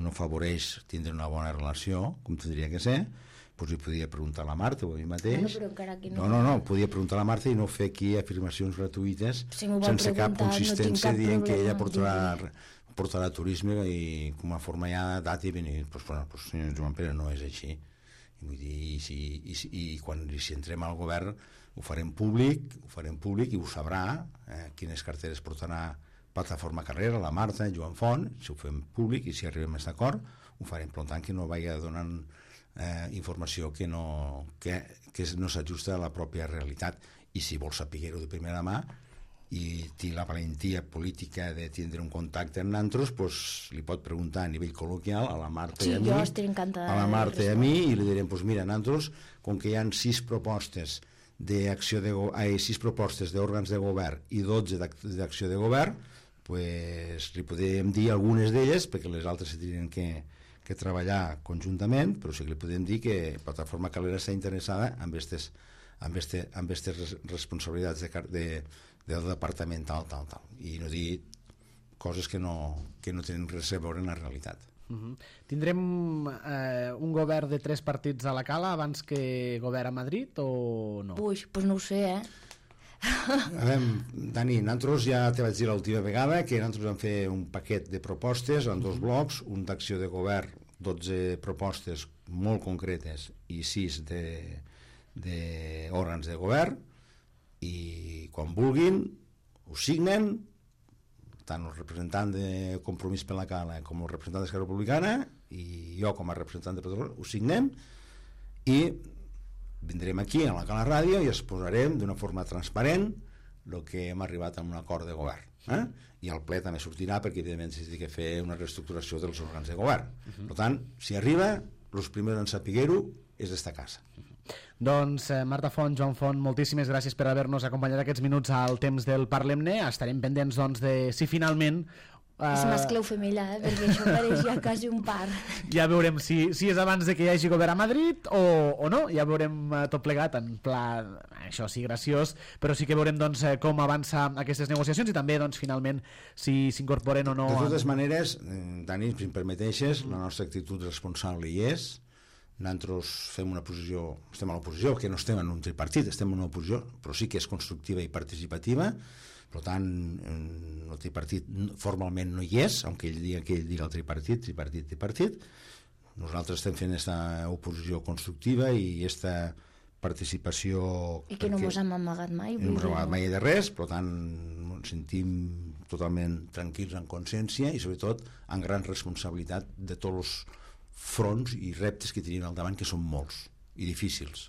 no afavoreix tindre una bona relació, com tindria que ser, doncs li podia preguntar a la Marta o a mi mateix. No, podia preguntar a la Marta i no fer aquí afirmacions gratuïtes sense cap consistència dient que ella portarà turisme i com a forma ja data i venir. Doncs senyor Joan Pere, no és així. Vull dir, i quan si entrem al govern ho farem públic i ho sabrà quines carteres portarà Plataforma Carrera, la Marta, Joan Font, si ho fem públic i si arribem a aquest acord ho farem, per tant que no vagi donant informació que no s'ajusta a la pròpia realitat, i si vol saber-ho de primera mà i té la valentia política de tindre un contacte amb nosaltres, doncs li pot preguntar a nivell col·loquial a la Marta i a mi, i li direm, doncs mira, nosaltres, com que hi ha 6 propostes d'òrgans de govern i 12 d'acció de govern, doncs li podem dir algunes d'elles, perquè les altres se tenen que treballar conjuntament, però sí que li podem dir que Plataforma Calera està interessada en aquestes responsabilitats del departament tal, i no dir coses que no tenen res a veure en la realitat. Tindrem un govern de 3 partits a la cala abans que govern a Madrid o no? Ui, doncs no ho sé, A veure, Dani, nosaltres ja te vaig dir l'última vegada que nosaltres vam fer un paquet de propostes en 2 blocs, un d'acció de govern, 12 propostes molt concretes i 6 d'òrgans de govern, i quan vulguin ho signen, tant el representant de Compromís per la Cala com el representant d'Esquerra Republicana i jo com a representant de Plataforma ho signem i vindrem aquí a la Cala Ràdio i exposarem d'una forma transparent el que hem arribat a un acord de govern, i el ple també sortirà perquè evidentment s'ha de fer una reestructuració dels òrgans de govern. Per tant, si arriba, els primers en saber-ho és d'esta casa. Doncs Marta Font, Joan Font, moltíssimes gràcies per haver-nos acompanyat aquests minuts al temps del Parlem-ne. Estarem pendents doncs, de si finalment... És mascle o femella, perquè això pareix ja quasi un par. Ja veurem si és abans de que hi hagi govern a Madrid o no, ja veurem tot plegat en pla, això sí, graciós, però sí que veurem doncs, com avança aquestes negociacions i també doncs, finalment si s'incorporen o no. De totes maneres, Dani, si em permeteixes, la nostra actitud responsable hi és. Nosaltres fem una posició, estem a l'oposició, que no estem en un tripartit, estem en una oposició, però sí que és constructiva i participativa. Per tant, el tripartit formalment no hi és, aunque ell digui que ell dirà el tripartit. Nosaltres estem fent aquesta oposició constructiva i aquesta participació... I que no ens hem amagat mai. No ens hem amagat mai de res, per tant, ens sentim totalment tranquils en consciència i sobretot amb gran responsabilitat de tots els fronts i reptes que tenim al davant, que són molts i difícils.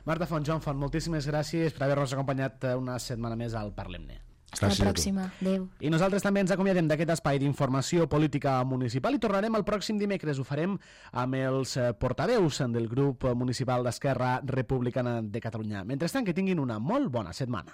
Marta Font, Joan Font, moltíssimes gràcies per haver-nos acompanyat una setmana més al Parlem-ne. Fins la pròxima. Adéu. I nosaltres també ens acomiadem d'aquest espai d'informació política municipal i tornarem el pròxim dimecres. Ho farem amb els portaveus del grup municipal d'Esquerra Republicana de Catalunya. Mentrestant, que tinguin una molt bona setmana.